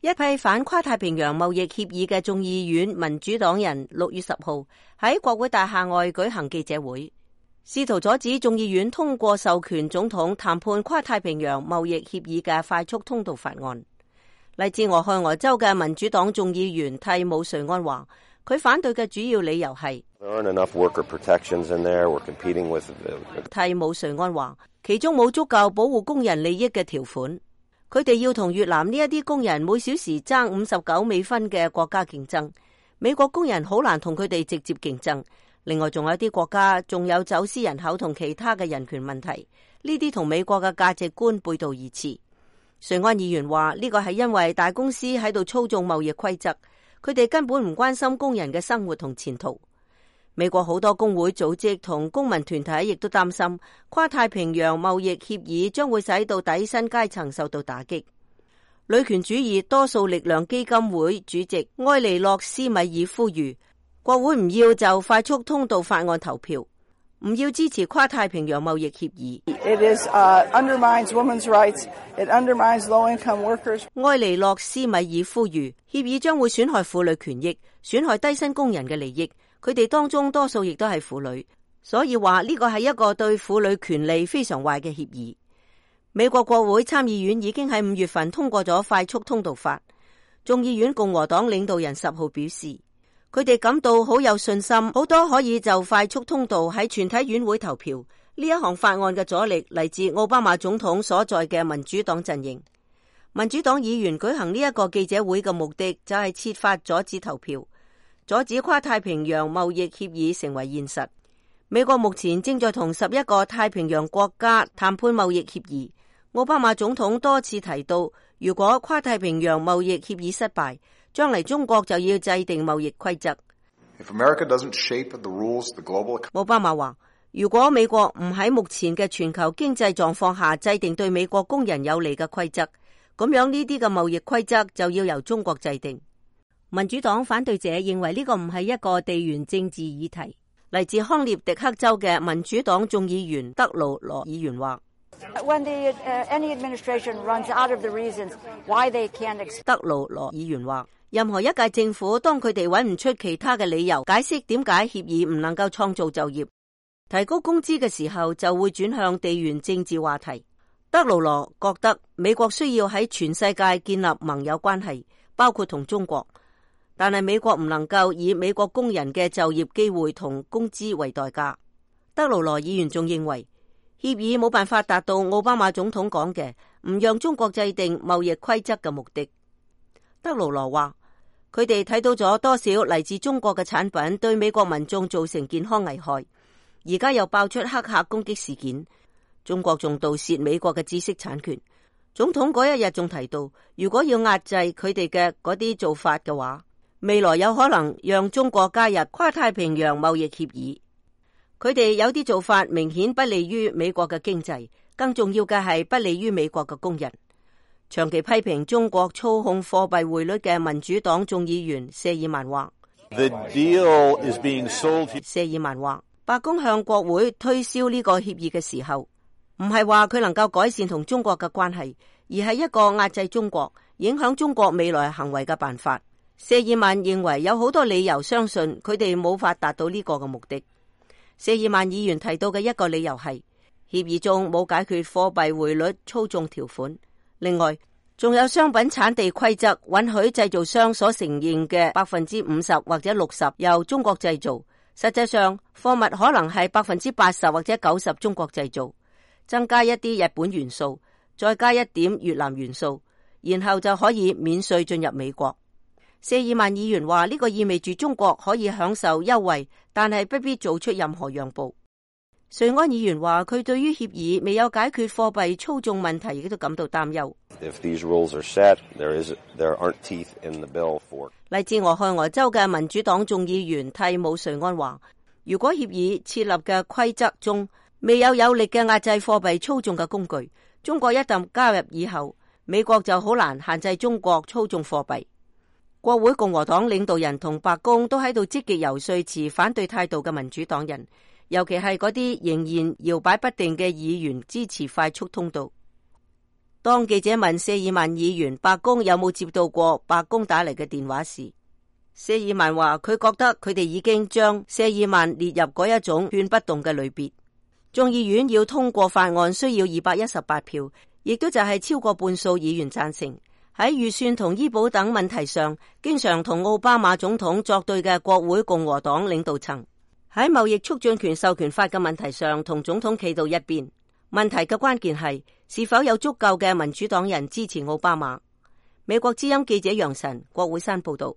一批反跨太平洋貿易協議嘅眾議院民主黨人6月10號喺國會大廈外舉行記者會，試圖阻止眾議院通過授權總統談判跨太平洋貿易協議嘅快速通道法案。嚟自俄亥俄州嘅民主黨眾議員蒂姆瑞安話，佢反對嘅主要理由係蒂姆瑞安話，其中冇足夠保護工人利益嘅條款，佢哋要同越南呢一啲工人每小時爭59美分嘅國家競爭，美國工人好難同佢哋直接競爭。另外仲有啲國家仲有走私人口同其他嘅人權問題，呢啲同美國嘅價值觀背道而馳。瑞安議員話，呢個係因為大公司喺度操縱貿易規則，佢哋根本唔關心工人嘅生活同前途。美國好多工會組織同公民團體亦都擔心跨太平洋貿易協議將會使到底薪階層受到打擊。女權主義多數力量基金會主席埃莉諾斯米爾呼籲國會唔要就快速通道法案投票，唔要支持跨太平洋貿易協議。undermines women's rights. It undermines low-income workers. 埃莉諾斯米爾呼籲協議將會損害婦女權益，損害低薪工人嘅利益。佢哋當中多數亦都係婦女，所以話呢個係一個對婦女權利非常壞嘅協議。美國國會參議院已經喺5月份通過咗快速通道法。眾議院共和黨領導人10號表示，佢哋感到好有信心，好多可以就快速通道喺全體院會投票。呢一項法案嘅阻力嚟自奧巴馬總統所在嘅民主黨陣營。民主黨議員舉行呢一個記者會嘅目的就係設法阻止投票，阻止跨太平洋貿易協議成為現實。美國目前正在同11個太平洋國家談判貿易協議。奧巴馬總統多次提到，如果跨太平洋貿易協議失敗，將嚟中國就要制定貿易規則。奧巴馬話，如果美國唔喺目前嘅全球經濟狀況下制定對美國工人有利嘅規則，咁樣呢啲嘅貿易規則就要由中國制定。民主黨反對者認為呢個唔係一個地緣政治議題。嚟自康涅狄克州嘅民主黨眾議員德魯羅議員話，德魯羅議員話，任何一屆政府當佢哋揾唔出其他嘅理由解釋點解協議唔能夠創造就業、提高工資嘅時候，就會轉向地緣政治話題。德魯羅覺得美國需要喺全世界建立盟友關係，包括同中國，但係美國唔能夠以美國工人嘅就業機會同工資為代價。德魯羅議員仲認為協議冇辦法達到奧巴馬總統講嘅唔讓中國制定貿易規則嘅目的。德魯羅話，佢哋睇到咗多少嚟自中國嘅產品對美國民眾造成健康危害，而家又爆出黑客攻擊事件，中國仲盜竊美國嘅知識產權。總統嗰一日仲提到，如果要壓制佢哋嘅嗰啲做法嘅話，未來有可能讓中國加入跨太平洋貿易協議。佢哋有啲做法明顯不利於美國嘅經濟，更重要嘅係不利於美國嘅工人。長期批評中國操控貨幣匯率嘅民主黨眾議員謝爾曼話，謝爾曼話，白宮向國會推銷呢個協議嘅時候，唔係話佢能夠改善同中國嘅關係，而係一個壓制中國、影響中國未來行為嘅辦法。謝爾曼認為有好多理由相信佢哋冇法達到呢個嘅目的。謝爾曼議員提到嘅一個理由係協議中冇解決貨幣匯率操縱條款，另外仲有商品產地規則允許製造商所承認嘅50%或者60%由中國製造，實際上貨物可能係80%或者90%中國製造，增加一啲日本元素，再加一點越南元素，然後就可以免稅進入美國。謝爾曼議員話，呢個意味住中國可以享受優惠，但係不必做出任何讓步。瑞安議員話，佢對於協議未有解決貨幣操縱問題亦都感到擔憂。嚟自俄亥俄州嘅民主黨眾議員蒂姆瑞安話，如果協議設立嘅規則中未有有力嘅壓制貨幣操縱嘅工具，中國一旦加入以後，美國就好難限制中國操縱貨幣。國會共和黨領導人同白宮都喺度積極游說持反對態度嘅民主黨人，尤其係嗰啲仍然搖擺不定嘅議員支持快速通道。當記者問謝爾曼議員白宮有冇接到過白宮打嚟嘅電話時，謝爾曼話佢覺得佢哋已經將謝爾曼列入嗰一種勸不動嘅類別。眾議院要通過法案需要218票，亦都就係超過半數議員贊成。喺預算同醫保等問題上，經常同奧巴馬總統作對嘅國會共和黨領導層，喺貿易促進權授權法嘅問題上同總統企到一邊。問題嘅關鍵係是否有足夠嘅民主黨人支持奧巴馬。美國之音記者楊晨，國會山報道。